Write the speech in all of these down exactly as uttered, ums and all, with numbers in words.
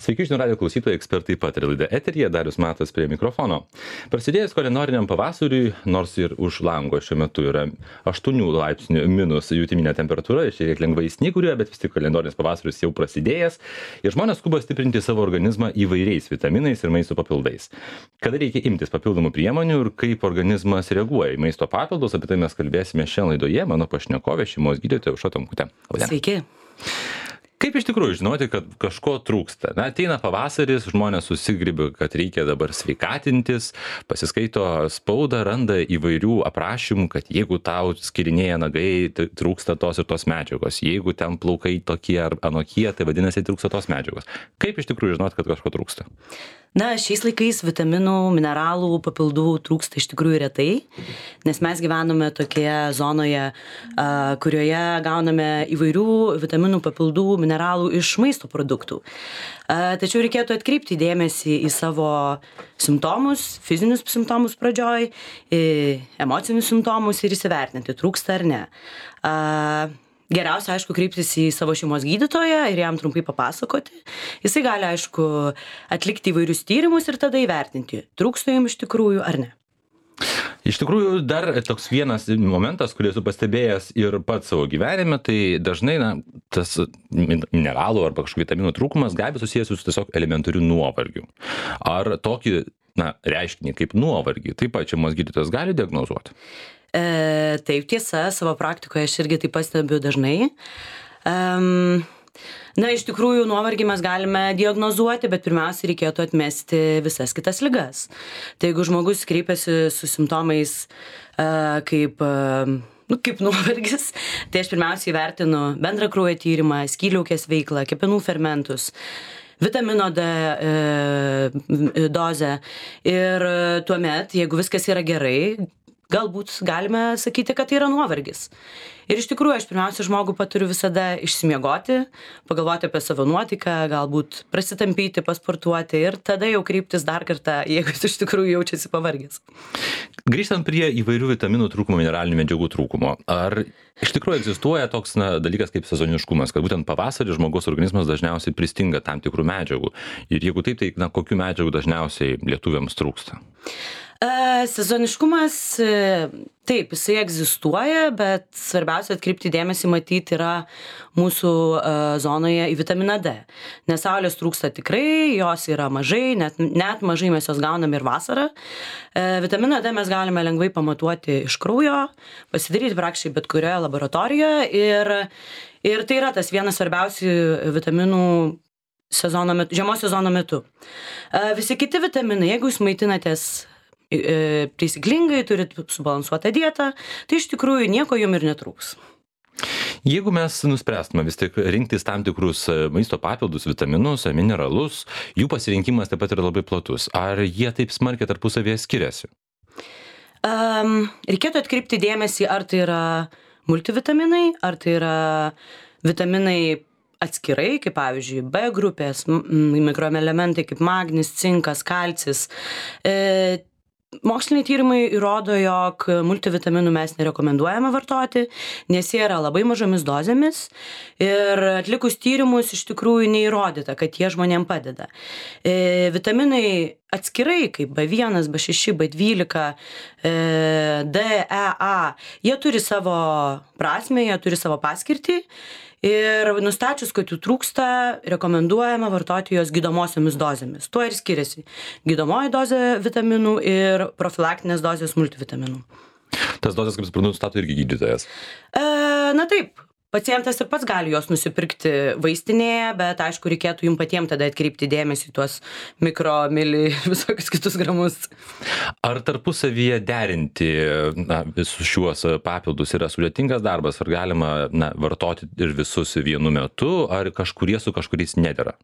Sveiki, žinių radijo klausytojai, ekspertai pataria laida eteryje, Darius Matas prie mikrofono. Prasidėjus kalendoriniam pavasariui, nors ir už lango šiuo metu yra aštuonių laipsnių minus jutiminė temperatūra, šiek tiek lengvai snyguriuoja, bet vis tik kalendorinis pavasaris jau prasidėjęs ir žmonės skuba stiprinti savo organizmą įvairiais vitaminais ir maisto papildais. Kada reikia imtis papildomų priemonių ir kaip organizmas reaguoja į maisto papildus, apie tai mes kalbėsime šiandien laidoje. Mano pašnekovė, šeimos gydytoja Aušra Tomkutė. Sveiki. Kaip iš tikrųjų žinoti, kad kažko trūksta? Na, ateina pavasaris, žmonės susigribia, kad reikia dabar sveikatintis, pasiskaito spaudą, randa įvairių aprašymų, kad jeigu tau skirinėja nagai, tai trūksta tos ir tos medžiagos. Jeigu ten plaukai tokie ar anokie, tai vadinasi trūksta tos medžiagos. Kaip iš tikrųjų žinoti, kad kažko trūksta? Na, šiais laikais vitaminų, mineralų, papildų trūksta iš tikrųjų retai, nes mes gyvename tokioje zonoje, a, kurioje gauname įvairių vitaminų, papildų, mineralų iš maisto produktų. A, tačiau reikėtų atkreipti dėmesį į savo simptomus, fizinius simptomus pradžioj, į emocinius simptomus ir įsivertinti, trūksta ar ne. A, Geriausia, aišku, kreiptis į savo šeimos gydytoją ir jam trumpai papasakoti. Jisai gali, aišku, atlikti įvairius tyrimus ir tada įvertinti, trūksta jums iš tikrųjų ar ne. Iš tikrųjų, dar toks vienas momentas, kurį esu pastebėjęs ir pats savo gyvenime, tai dažnai na, tas mineralų arba kažkokių vitaminų trūkumas gali susijęs su tiesiog elementariu nuovargiu. Ar tokį na, reiškinį kaip nuovargį taip pat šeimos gydytojas gali diagnozuoti? E, taip, tiesa, savo praktikoje aš irgi tai pastebiu dažnai. Um, na, iš tikrųjų, nuovargį mes galime diagnozuoti, bet pirmiausia, reikėtų atmesti visas kitas ligas. Tai jeigu žmogus kreipiasi su simptomais uh, kaip, uh, nu, kaip nuovargis, tai aš pirmiausia įvertinu bendrą kraujo tyrimą, skydliaukės veiklą, kepenų fermentus, vitamino D e, dozę ir tuomet, jeigu viskas yra gerai, galbūt galime sakyti, kad tai yra nuovargis. Ir iš tikrųjų, aš pirmiausia žmogų paturiu visada išsimiegoti, pagalvoti apie savo nuotaiką, galbūt prasitampyti, pasportuoti ir tada jau kreiptis dar kartą, jeigu jis iš tikrųjų jaučiasi pavargęs. Grįžtant prie įvairių vitaminų trūkumo, mineralinių medžiagų trūkumo, ar iš tikrųjų egzistuoja toks na, dalykas kaip sezoniškumas, kad būtent pavasarį žmogaus organizmas dažniausiai pristinga tam tikrų medžiagų ir jeigu taip, tai na, kokių medžiagų dažniausiai lietuviams trūksta? E, sezoniškumas, taip, jisai egzistuoja, bet svarbiausia atkreipti dėmesį matyti yra mūsų e, zonoje į vitaminą D. Nes saulės trūksta tikrai, jos yra mažai, net, net mažai mes jos gauname ir vasarą. E, vitaminą D mes galime lengvai pamatuoti iš kraujo, pasidaryti praktiškai bet kurioje laboratorijoje ir, ir tai yra tas vienas svarbiausių vitaminų sezono metu, žiemos sezono metu. E, visi kiti vitaminai, jeigu jūs maitinatės taisyklingai, turit subalansuotą dietą, tai iš tikrųjų nieko jum ir netrūks. Jeigu mes nuspręstume vis tik rinktis tam tikrus maisto papildus, vitaminus, mineralus, jų pasirinkimas taip pat yra labai platus. Ar jie taip smarkiai tarpusavėje skiriasi? Um, reikėtų atkreipti dėmesį, ar tai yra multivitaminai, ar tai yra vitaminai atskirai, kaip pavyzdžiui B grupės, mikroelementai kaip magnis, cinkas, kalcis. E, Moksliniai tyrimai įrodo, jog multivitaminų mes nerekomenduojame vartoti, nes jie yra labai mažomis dozėmis ir atlikus tyrimus iš tikrųjų neįrodyta, kad jie žmonėm padeda. E, vitaminai atskirai, kaip B vienas, B šeši, B dvylika, e, D, E, A, jie turi savo prasmę, jie turi savo paskirtį. Ir nustačius, kad jų trūksta, rekomenduojama vartoti jos gydomosiomis dozėmis. Tuo ir skiriasi gydomoji dozė vitaminų ir profilaktinės dozės multivitaminų. Tas dozės, kaip suprantu, nustato irgi gydytojas? E, na taip, pacientas ir pats gali jos nusipirkti vaistinėje, bet aišku, reikėtų jums patiems tada atkreipti dėmesį į tuos mikro, mili, visokius kitus gramus. Ar tarpusavyje derinti na, visus šiuos papildus yra sudėtingas darbas, ar galima na, vartoti ir visus vienu metu, ar kažkurie su kažkuriais nedera?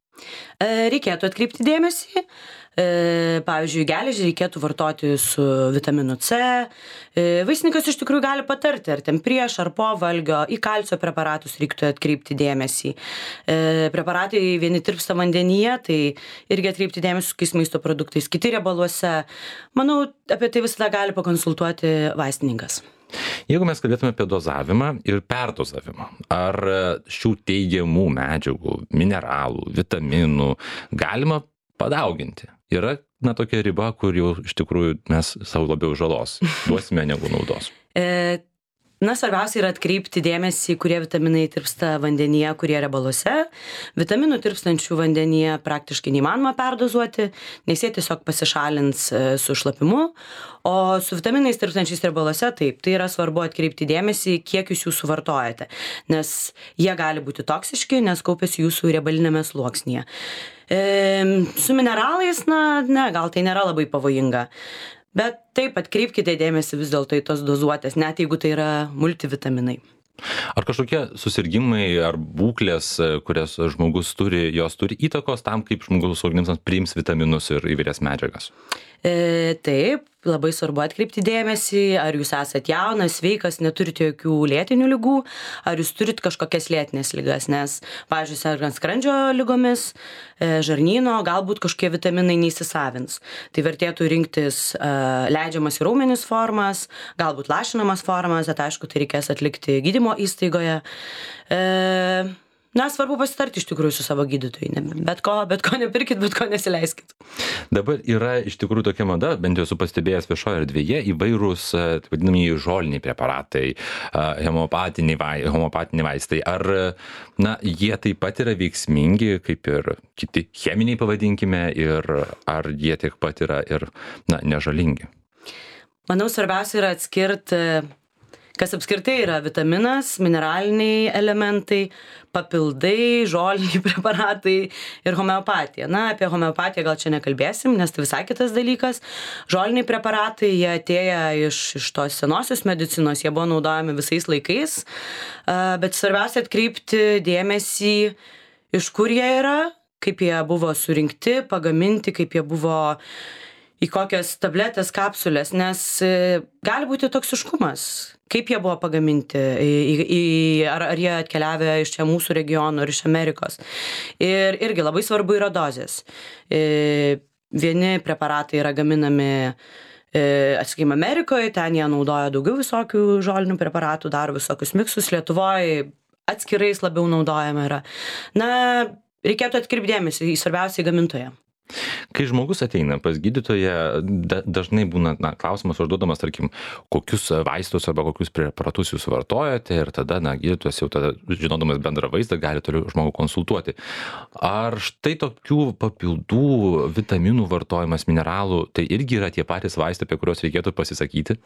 Reikėtų atkreipti dėmesį. E, pavyzdžiui, geležį reikėtų vartoti su vitaminu C. E, vaistininkas iš tikrųjų gali patarti, ar ten prieš, ar po valgio. Į kalcio preparatus reiktų atkreipti dėmesį. E, preparatai vieni tirpsta vandenyje, tai irgi atkreipti dėmesį su kokiais maisto produktais, kiti riebaluose. Manau, apie tai visada gali pakonsultuoti vaistininkas. Jeigu mes kalbėtume apie dozavimą ir perdozavimą, ar šių teigiamų medžiagų, mineralų, vitaminų galima padauginti? Yra, na, tokia riba, kur jau iš tikrųjų mes savo labiau žalos duosime negu naudos. E, na, svarbiausia yra atkreipti dėmesį, kurie vitaminai tirpsta vandenyje, kurie riebaluose. Vitaminų tirpstančių vandenyje praktiškai neįmanoma perdozuoti, nes jie tiesiog pasišalins e, su šlapimu. O su vitaminais tirpstančiais riebaluose, taip, tai yra svarbu atkreipti dėmesį, kiek jūs jų suvartojate, nes jie gali būti toksiški, nes kaupiasi jūsų riebalinėme sluoksnyje. E, su mineralais, na, ne, gal tai nėra labai pavojinga. Bet taip, atkreipkite dėmesį vis dėlto į tos dozuotės, net jeigu tai yra multivitaminai. Ar kažkokie susirgimai ar būklės, kurias žmogus turi, jos turi įtakos tam, kaip žmogaus organizmas priims vitaminus ir įvairias medžiagas? E, taip, labai svarbu atkreipti dėmesį, ar jūs esat jaunas, sveikas, neturite jokių lėtinių ligų, ar jūs turit kažkokias lėtinės ligas, nes, pavyzdžiui, sergant skrandžio ligomis, e, žarnyno, galbūt kažkokie vitaminai neįsisavins. Tai vertėtų rinktis e, leidžiamas į raumenis formas, galbūt lašinamas formas, bet aišku, tai reikės atlikti gydymo įstaigoje. E, Na, svarbu pasitarti iš tikrųjų su savo gydytoju. Bet ko, bet ko nepirkit, bet ko nesileiskit. Dabar yra iš tikrųjų tokia mada, bent jau esu pastebėjęs viešoje erdvėje, įvairūs, taip vadinamieji žoliniai preparatai, homeopatiniai, vai, homeopatiniai vaistai. Ar, na, jie taip pat yra veiksmingi, kaip ir kiti cheminiai, pavadinkime, ir ar jie tiek pat yra ir, na, nežalingi? Manau, svarbiausia yra atskirti, kas apskritai yra vitaminas, mineraliniai elementai, papildai, žoliniai preparatai ir homeopatija. Na, apie homeopatiją gal čia nekalbėsim, nes tai visai kitas dalykas. Žoliniai preparatai, jie atėję iš, iš tos senosios medicinos, jie buvo naudojami visais laikais, bet svarbiausia atkreipti dėmesį, iš kur jie yra, kaip jie buvo surinkti, pagaminti, kaip jie buvo į kokias tabletės, kapsulės, nes gali būti toksiškumas. Kaip jie buvo pagaminti, į, į, ar, ar jie atkeliavę iš čia mūsų regionų, ar iš Amerikos. Ir irgi labai svarbu yra dozės. Vieni preparatai yra gaminami, atsakykime, Amerikoje, ten jie naudoja daugiau visokių žolinių preparatų, daro visokius miksus, Lietuvoje atskirais labiau naudojama yra. Na, reikėtų atkreipti dėmesį į svarbiausiai gamintoją. Kai žmogus ateina pas gydytoją, da, dažnai būna, na, klausimas užduodamas, tarkim, kokius vaistus arba kokius preparatus jūs vartojate ir tada, na, gydytojas jau tada, žinodamas bendrą vaizdą, gali toliau žmogų konsultuoti. Ar štai tokių papildų, vitaminų vartojimas, mineralų, tai irgi yra tie patys vaistai, apie kuriuos reikėtų pasisakyti?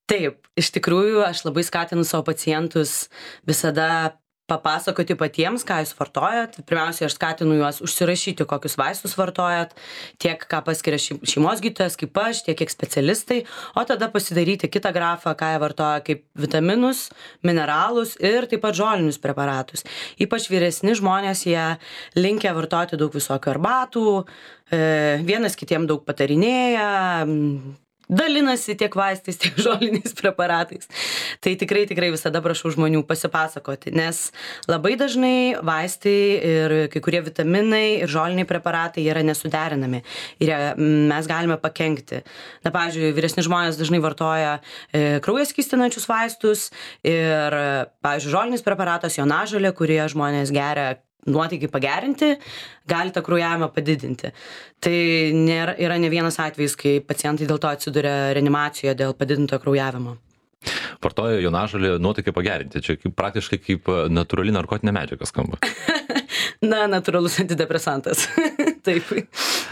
Taip, iš tikrųjų, aš labai skatinu savo pacientus visada papasakoti patiems, ką jūs vartojat. Pirmiausia, aš skatinu juos užsirašyti, kokius vaistus vartojat, tiek ką paskiria šeimos gydytojas, kaip aš, tiek kiek specialistai, o tada pasidaryti kitą grafą, ką jie vartoja kaip vitaminus, mineralus ir taip pat žolinius preparatus. Ypač vyresni žmonės, jie linkę vartoti daug visokių arbatų, vienas kitiem daug patarinėja, dalinasi tiek vaistais, tiek žoliniais preparatais. Tai tikrai, tikrai visada prašau žmonių pasipasakoti, nes labai dažnai vaistai ir kai kurie vitaminai ir žoliniai preparatai yra nesuderinami ir mes galime pakenkti. Na, pavyzdžiui, vyresni žmonės dažnai vartoja e, kraują skystinančius vaistus ir, pavyzdžiui, žolinis preparatas, jonažolė, kurie žmonės geria nuotaikai pagerinti, gali tą kraujavimą padidinti. Tai nėra, yra ne vienas atvejis, kai pacientai dėl to atsiduria reanimacijoje dėl padidinto kraujavimo. Vartoja jonažolę nuotaikai pagerinti. Čia kaip, praktiškai kaip natūrali narkotinė medžiaga skamba. Na, natūralus antidepresantas. Taip.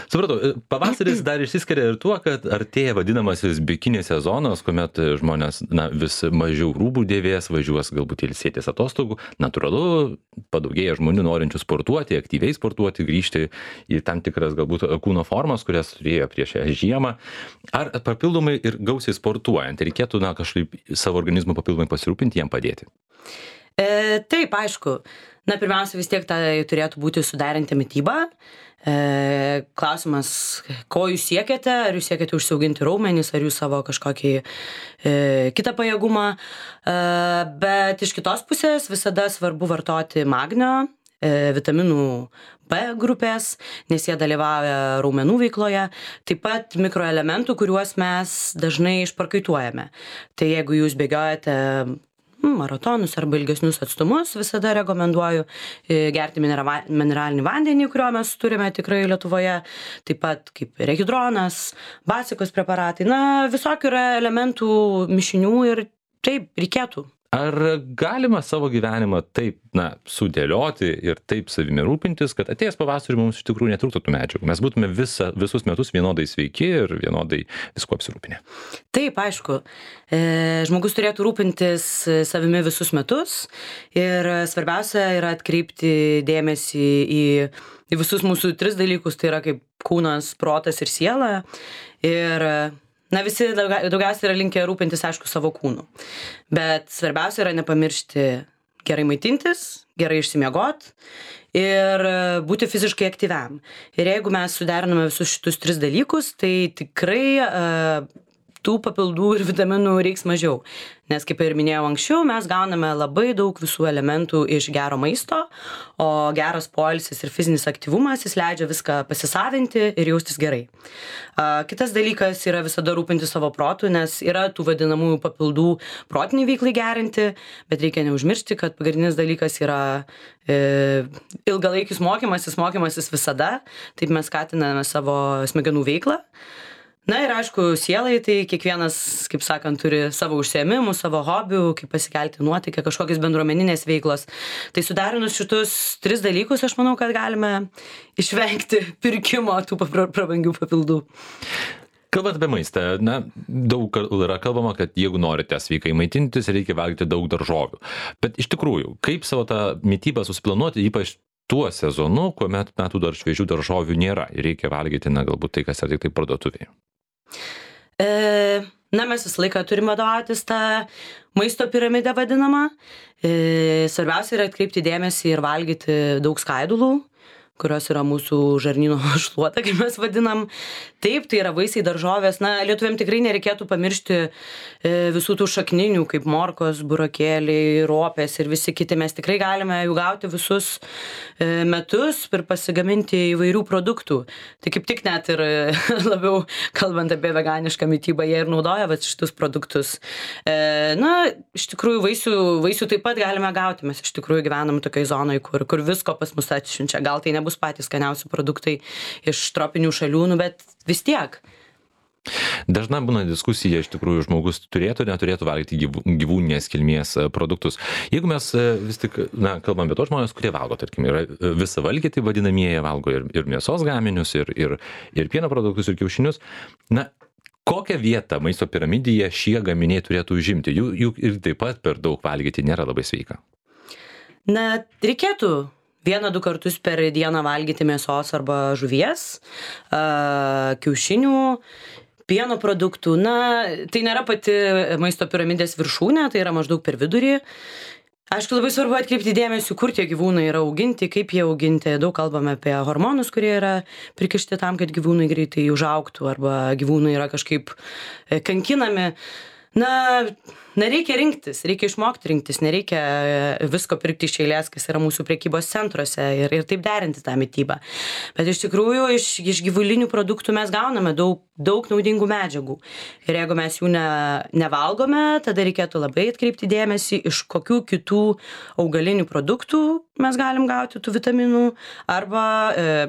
Supratau, pavasaris dar išsiskiria ir tuo, kad artėja vadinamasis bikini sezonas, kuomet žmonės, na, vis mažiau rūbų dėvės, važiuos galbūt ilsėtis atostogų. Natūralu, padaugėja žmonių norinčių sportuoti, aktyviai sportuoti, grįžti į tam tikras galbūt kūno formas, kurias turėjo prieš žiemą. Ar papildomai ir gausiai sportuojant reikėtų, na, kažkaip savo organizmu papildomai pasirūpinti, jam padėti? E, taip, aišku. Na, pirmiausia, vis tiek tai turėtų būti suderinti mitybą. E, klausimas, ko jūs siekiate, ar jūs siekiate užsiauginti raumenis, ar jūs savo kažkokį e, kitą pajėgumą. E, bet iš kitos pusės visada svarbu vartoti magnio, e, vitaminų B grupės, nes jie dalyvauja raumenų veikloje, taip pat mikroelementų, kuriuos mes dažnai išprakaituojame. Tai jeigu jūs bėgiojate maratonus arba ilgesnius atstumus, visada rekomenduoju gerti minera- mineralinį vandenį, kurio mes turime tikrai Lietuvoje, taip pat kaip rehidronas, basikos preparatai, na, visokių yra elementų mišinių ir taip reikėtų. Ar galima savo gyvenimą taip, na, sudėlioti ir taip savimi rūpintis, kad atėjęs pavasarį mums iš tikrųjų netrūktų tų medžiagų? Mes būtume visa, visus metus vienodai sveiki ir vienodai visko apsirūpinę. Taip, aišku. E, žmogus turėtų rūpintis savimi visus metus ir svarbiausia yra atkreipti dėmesį į, į visus mūsų tris dalykus, tai yra kaip kūnas, protas ir siela. Ir na, visi daugia, daugiausiai yra linkę rūpintis, aišku, savo kūnu. Bet svarbiausia yra nepamiršti gerai maitintis, gerai išsimiegot ir būti fiziškai aktyviam. Ir jeigu mes suderiname visus šitus tris dalykus, tai tikrai uh, tų papildų ir vitaminų reiks mažiau. Nes, kaip ir minėjau anksčiau, mes gauname labai daug visų elementų iš gero maisto, o geras poilsis ir fizinis aktyvumas, jis leidžia viską pasisavinti ir jaustis gerai. Uh, kitas dalykas yra visada rūpinti savo protu, nes yra tų vadinamųjų papildų protiniai veiklai gerinti, bet reikia neužmiršti, kad pagrindinis dalykas yra e, ilgalaikis mokymasis, mokymasis visada, taip mes skatiname savo smegenų veiklą. Na ir aišku, sielai, tai kiekvienas, kaip sakant, turi savo užsiėmimų, savo hobių, kaip pasikelti nuotykį, kažkokios bendruomeninės veiklos. Tai sudarinus šitus tris dalykus, aš manau, kad galime išvengti pirkimo tų prabangių papildų. Kalbant apie maistą, na, daug yra kalbama, kad jeigu norite sveikai maitintis, reikia valgyti daug daržovių. Bet iš tikrųjų, kaip savo tą mitybą susiplanuoti, ypač tuo sezonu, kuomet metų dar šviežių daržovių nėra ir reikia valgyti, na, galbūt tai, kas yra tik tai parduotuvėje? E, na, mes visą laiką turime vadovautis tą maisto piramidę vadinamą. E, svarbiausia yra atkreipti dėmesį ir valgyti daug skaidulų, kurios yra mūsų žarnyno šluota, kaip mes vadinam. Taip, tai yra vaisiai, daržovės. Na, lietuviam tikrai nereikėtų pamiršti e, visų tų šakninių, kaip morkos, burokėliai, ropės ir visi kiti. Mes tikrai galime jų gauti visus e, metus ir pasigaminti įvairių produktų. Tai kaip tik net ir labiau kalbant apie veganišką mitybą, jie ir naudoja vat, šitus produktus. E, na, iš tikrųjų, vaisių, vaisių taip pat galime gauti. Mes iš tikrųjų gyvenam tokiai zonai, kur, kur visko pas mus atsiunčia. Gal tai nebus bus patys skaniausi produktai iš tropinių šalių, nu, bet vis tiek. Dažna būna diskusija, iš tikrųjų, žmogus turėtų, neturėtų valgyti gyvūninės kilmės produktus. Jeigu mes vis tik, na, kalbam apie tos žmonės, kurie valgo, tarkim, yra visavalgiai, tai vadinamieji, valgo ir, ir mėsos gaminius, ir, ir, ir pieno produktus, ir kiaušinius, na, kokią vietą maisto piramidėje šie gaminiai turėtų užimti? Jų, jų ir taip pat per daug valgyti nėra labai sveika. Na, reikėtų vieną, du kartus per dieną valgyti mėsos arba žuvies, kiaušinių, pieno produktų. Na, tai nėra pati maisto piramidės viršūnė, tai yra maždaug per vidurį. Aišku, labai svarbu atkreipti dėmesį, kur tie gyvūnai yra auginti, kaip jie auginti. Daug kalbame apie hormonus, kurie yra prikišti tam, kad gyvūnai greitai užaugtų arba gyvūnai yra kažkaip kankinami. Na, nereikia rinktis, reikia išmokti rinktis, nereikia visko pirkti iš eilės, kas yra mūsų prekybos centruose ir, ir taip derinti tą mitybą. Bet iš tikrųjų iš, iš gyvulinių produktų mes gauname daug, daug naudingų medžiagų. Ir jeigu mes jų ne, nevalgome, tada reikėtų labai atkreipti dėmesį, iš kokių kitų augalinių produktų mes galim gauti tų vitaminų arba e,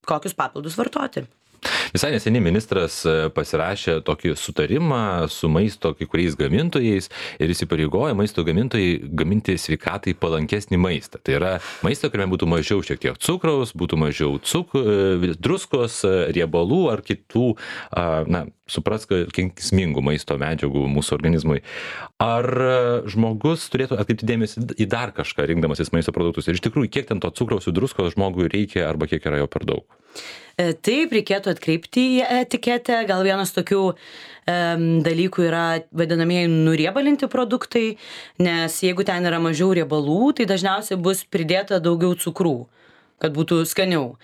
kokius papildus vartoti. Visai neseniai ministras pasirašė tokį sutarimą su maisto kai kuriais gamintojais ir įsipareigoja maisto gamintojai gaminti sveikatai palankesnį maistą. Tai yra maistą, kuriame būtų mažiau šiek tiek cukraus, būtų mažiau cuk, druskos, riebalų ar kitų, na, suprask, kenksmingų maisto medžiagų mūsų organizmui. Ar žmogus turėtų atkreipti dėmesį į dar kažką, rinkdamasis maisto produktus? Ir iš tikrųjų, kiek ten to cukraus ir druskos žmogui reikia arba kiek yra jo per daug? E, Taip, reikėtų atkreipti į etiketę. Gal vienas tokių em, dalykų yra vadinamieji nuriebalinti produktai, nes jeigu ten yra mažiau riebalų, tai dažniausiai bus pridėta daugiau cukrų, kad būtų skaniau.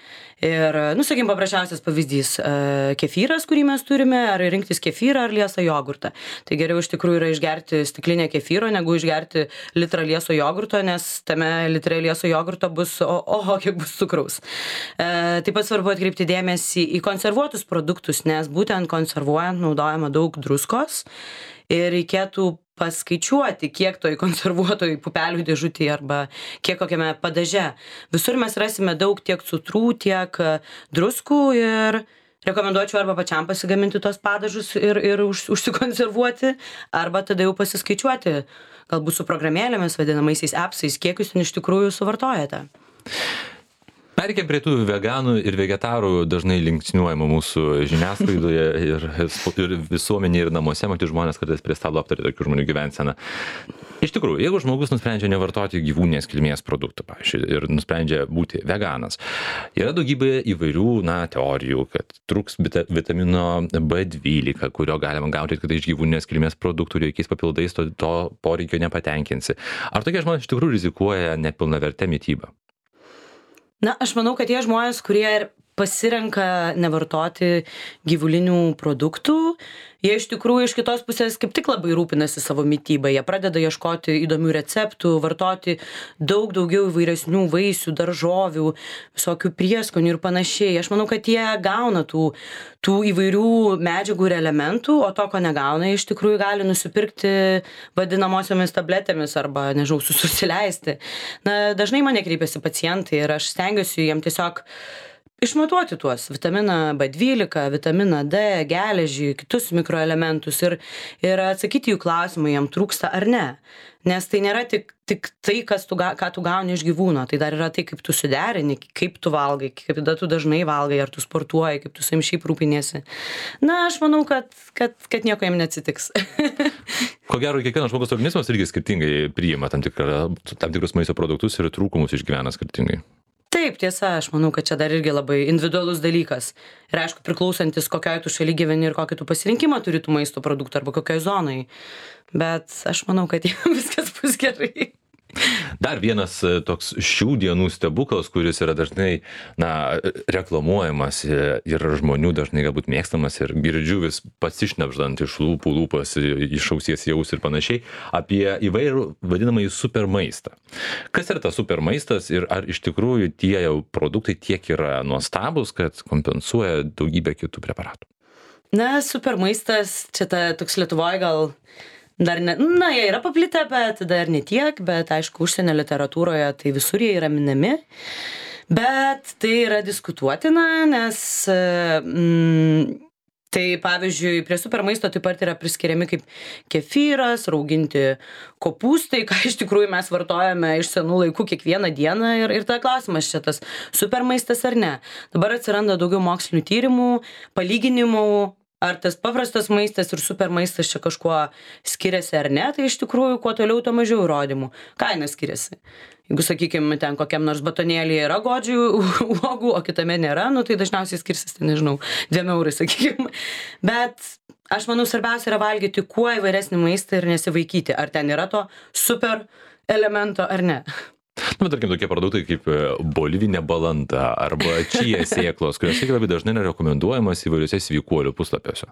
Ir, nu, sakykim, paprasčiausias pavyzdys e, kefyras, kurį mes turime, ar rinktis kefyrą ar liesą jogurtą. Tai geriau iš tikrųjų yra išgerti stiklinę kefyro, negu išgerti litrą lieso jogurto, nes tame litre lieso jogurto bus, o, oho, kiek bus cukraus. E, taip pat svarbu atkreipti dėmesį į konservuotus produktus, nes būtent konservuojant naudojama daug druskos ir reikėtų paskaičiuoti, kiek toj konservuotoj pupelių dėžutėje arba kiek kokiame padaže. Visur mes rasime daug tiek cukrų, tiek druskų ir rekomenduočiau arba pačiam pasigaminti tos padažus ir, ir už, užsikonservuoti, arba tada jau pasiskaičiuoti, galbūt su programėlėmis, vadinamaisiais appsais, kiek jūs ten iš tikrųjų suvartojate. Perkėm prie tų veganų ir vegetarų dažnai linksniuojama mūsų žiniasklaidoje ir, ir visuomenėje ir namuose, matyti žmonės kartais prie stalo aptarė tokių žmonių gyvenseną. Iš tikrųjų, jeigu žmogus nusprendžia nevartoti gyvūninės kilmės produktų, pavyzdžiui, ir nusprendžia būti veganas, yra daugybė įvairių, na, teorijų, kad trūks vitamino B dvylika, kurio galima gauti tik iš gyvūninės kilmės produktų, jokiais papildais to, to poreikio nepatenkinsi. Ar tokie žmonės iš tikrųjų rizikuoja nepilnavertę mitybą? Na, aš manau, kad tie žmonės, kurie ir pasirenka nevartoti gyvulinių produktų, jie iš tikrųjų iš kitos pusės kaip tik labai rūpinasi savo mitybą. Jie pradeda ieškoti įdomių receptų, vartoti daug daugiau įvairesnių vaisių, daržovių, visokių prieskonių ir panašiai. Aš manau, kad jie gauna tų, tų įvairių medžiagų ir elementų, o to, ko negauna, iš tikrųjų gali nusipirkti vadinamosiomis tabletėmis arba, nežinau, susileisti. Na, dažnai mane kreipiasi pacientai ir aš stengiuosi jiem tiesiog išmatuoti tuos vitaminą B dvylika, vitaminą D, geležį, kitus mikroelementus ir, ir atsakyti jų klausimą, jam trūksta ar ne. Nes tai nėra tik, tik tai, kas tu, ką tu gauni iš gyvūno, tai dar yra tai, kaip tu suderini, kaip tu valgai, kaip tada tu dažnai valgai, ar tu sportuoji, kaip tu savim šiaip rūpiniesi. Na, aš manau, kad, kad, kad nieko jam neatsitiks. Ko gero, kiekvienas žmogus organizmas irgi skirtingai priima tam, tikrą, tam tikrus maisto produktus ir trūkumus išgyvena skirtingai. Taip, tiesa, aš manau, kad čia dar irgi labai individualus dalykas. Ir aišku, priklausantis kokioj tu šaly gyveni ir kokį tu pasirinkimą turi tų maisto produktų arba kokioj zonai. Bet aš manau, kad viskas bus gerai. Dar vienas toks šių dienų stebuklas, kuris yra dažnai, na, reklamuojamas ir žmonių dažnai galbūt mėgstamas ir girdžiu vis pasišnepždant iš lūpų lūpas, iš ausies jaus ir panašiai, apie įvairų vadinamąjį supermaistą. Kas yra tas supermaistas ir ar iš tikrųjų tie jau produktai tiek yra nuostabus, kad kompensuoja daugybę kitų preparatų? Na, supermaistas, čia ta, toks Lietuvoje gal dar ne, na, jie yra paplitę, bet dar ne tiek, bet aišku, užsienio literatūroje tai visur jie yra minami. Bet tai yra diskutuotina, nes mm, tai pavyzdžiui, prie supermaisto taip pat yra priskiriami kaip kefyras, rauginti kopūstai, ką iš tikrųjų mes vartojame iš senų laikų kiekvieną dieną ir, ir ta klausimas čia tas supermaistas ar ne. Dabar atsiranda daugiau mokslinių tyrimų, palyginimų, ar tas paprastas maistas ir supermaistas čia kažkuo skiriasi ar ne, tai iš tikrųjų kuo toliau, tuo mažiau įrodymų. Kaina skiriasi. Jeigu, sakykime, ten kokiam nors batonėlyje yra godžių uogų, o kitame nėra, nu tai dažniausiai skirsis, tai nežinau, dviem eurai, sakykime. Bet aš manau, svarbiausia yra valgyti kuo įvairesnį maistą ir nesivaikyti, ar ten yra to super elemento ar ne. Na, bet tarkim, tokie produktai kaip bolivinė balanda arba čija sėklos, kurios labai dažnai yra rekomenduojamas įvairiuose sveikuolių puslapiuose.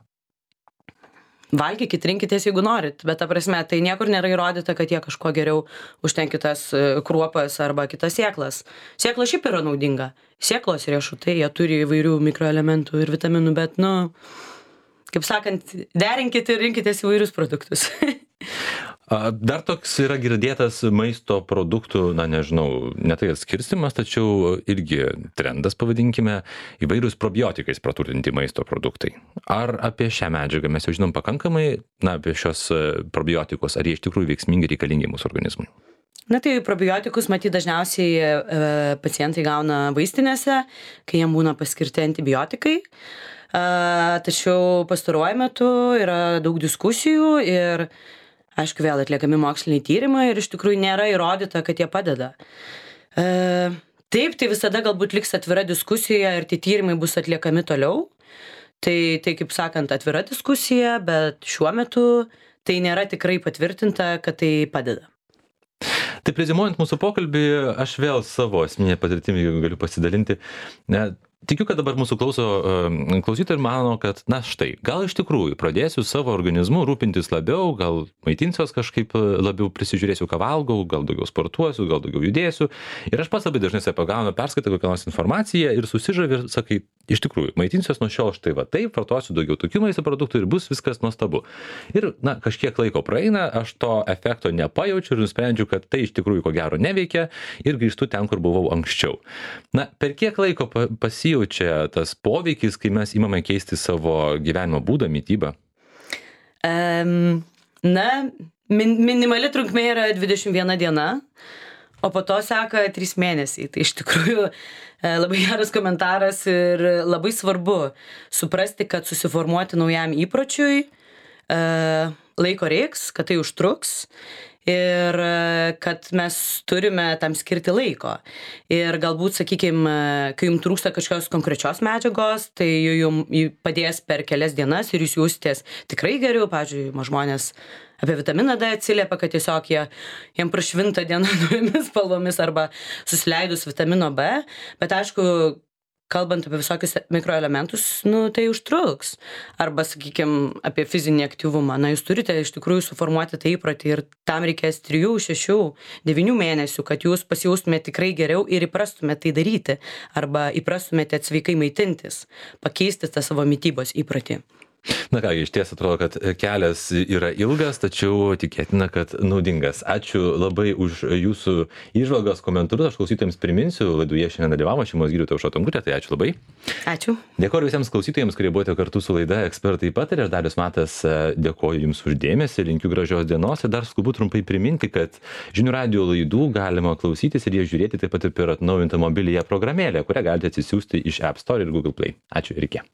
Valgykit, rinkitės, jeigu norit, bet ta prasme, tai niekur nėra įrodyta, kad jie kažko geriau už ten kitas kruopas arba kitas sėklas. Sėkla šiaip yra naudinga. Sėklos riešutai, jie turi įvairių mikroelementų ir vitaminų, bet, nu, kaip sakant, derinkit ir rinkitės įvairius produktus. Dar toks yra girdėtas maisto produktų, na nežinau, ne tai atskirstimas, tačiau irgi trendas, pavadinkime, įvairius probiotikais praturtinti maisto produktai. Ar apie šią medžiagą mes jau žinom pakankamai, na, apie šios probiotikus, ar jie iš tikrųjų veiksmingi reikalingi mūsų organizmui? Na tai probiotikus, matyt, dažniausiai e, pacientai gauna vaistinėse, kai jiem būna paskirti antibiotikai. E, tačiau pastaruoju metu yra daug diskusijų ir aišku, vėl atliekami moksliniai tyrimai ir iš tikrųjų nėra įrodyta, kad jie padeda. E, Taip, tai visada galbūt liks atvira diskusija ir tie tyrimai bus atliekami toliau. Tai, tai kaip sakant, atvira diskusija, bet šiuo metu tai nėra tikrai patvirtinta, kad tai padeda. Tai prezimuojant mūsų pokalbį, aš vėl savo asmeninę patirtimį galiu pasidalinti. Ne, tikiu, kad dabar mūsų klauso klausytojai ir mano, kad, na štai, gal iš tikrųjų pradėsiu savo organizmu rūpintis labiau, gal maitinsiuos kažkaip labiau, prisižiūrėsiu, ką valgau, gal daugiau sportuosiu, gal daugiau judėsiu. Ir aš pats labai dažnai save pagaunu, perskaitau kokią nors informaciją ir susižavi ir sakai, iš tikrųjų, maitinsiuos nuo šiol štai va taip, vartosiu daugiau tokių maisto produktų ir bus viskas nuostabu. Ir, na, kažkiek laiko praeina, aš to efekto nepajaučiu ir nusprendžiu, kad tai iš tikrųjų ko gero neveikia ir grįžtu ten, kur buvau anksčiau. Na, per kiek laiko pasijaučia tas poveikis, kai mes imame keisti savo gyvenimo būdą, mitybą? Um, na, min, minimali trunkmė yra dvidešimt viena diena, o po to seka trys mėnesiai. Tai iš tikrųjų labai geras komentaras ir labai svarbu suprasti, kad susiformuoti naujam įpročiui laiko reiks, kad tai užtruks ir kad mes turime tam skirti laiko. Ir galbūt, sakykime, kai jums trūksta kažkokios konkrečios medžiagos, tai jums padės per kelias dienas ir jūs jausitės tikrai geriau. Pavyzdžiui, žmonės apie vitaminą D atsiliepia, kad tiesiog jie, jiem prašvinta diena naujomis spalvomis arba susileidus vitamino B. Bet aišku, kalbant apie visokius mikroelementus, nu, tai užtruks. Arba, sakykime, apie fizinį aktyvumą. Na, jūs turite iš tikrųjų suformuoti tą įprotį ir tam reikės trijų, šešių, devynių mėnesių, kad jūs pasijaustumėte tikrai geriau ir įprastumėte tai daryti. Arba įprastumėte sveikai maitintis, pakeisti tą savo mitybos įprotį. Na ką, iš ties atrodo, kad kelias yra ilgas, tačiau tikėtina, kad naudingas. Ačiū labai už jūsų įžvalgas, komentarus. Aš klausytojams priminsiu, laidoje šiandien dalyvavo šeimos gydytoja Aušra Tonkutė, tai ačiū labai. Ačiū. Dėkoju visiems klausytojams, kurie buvote kartu su laida Ekspertai pataria. Aš Darius Matas dėkoju jums už dėmesį, linkiu gražios dienos ir dar skubu trumpai priminti, kad Žinių radijo laidų galima klausytis ir jas žiūrėti taip pat ir per atnaujintą mobiliąją programėlę, kurią galite atsisiųsti iš App Store ir Google Play. Ačiū ir iki.